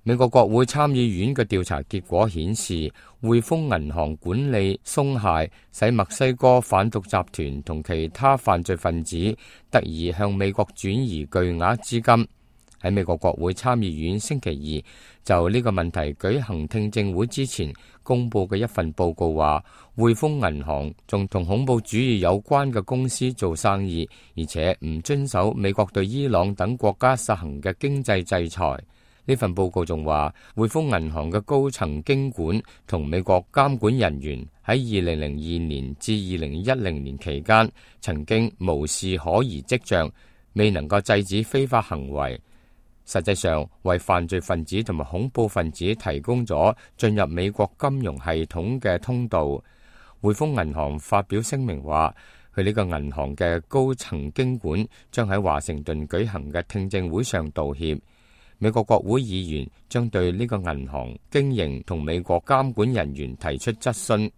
美國國會參議院嘅調查結果顯示，匯豐銀行管理鬆懈，使墨西哥販毒集團同其他犯罪分子得以向美國轉移巨額資金。喺美國國會參議院星期二就呢個問題舉行聽證會之前公佈嘅一份報告話，匯豐銀行仲同恐怖主義有關嘅公司做生意，而且唔遵守美國對伊朗等國家實行嘅經濟制裁。呢份報告仲話，匯豐銀行嘅高層經管同美國監管人員喺2002年至2010年期間曾經無視可疑跡象，未能夠制止非法行為，實際上為犯罪分子同埋恐怖分子提供咗進入美國金融系統嘅通道。匯豐銀行發表聲明話，佢呢個銀行嘅高層經管將喺華盛頓舉行嘅聽證會上道歉。美國國會議員將對呢個銀行經營同美國監管人員提出質詢。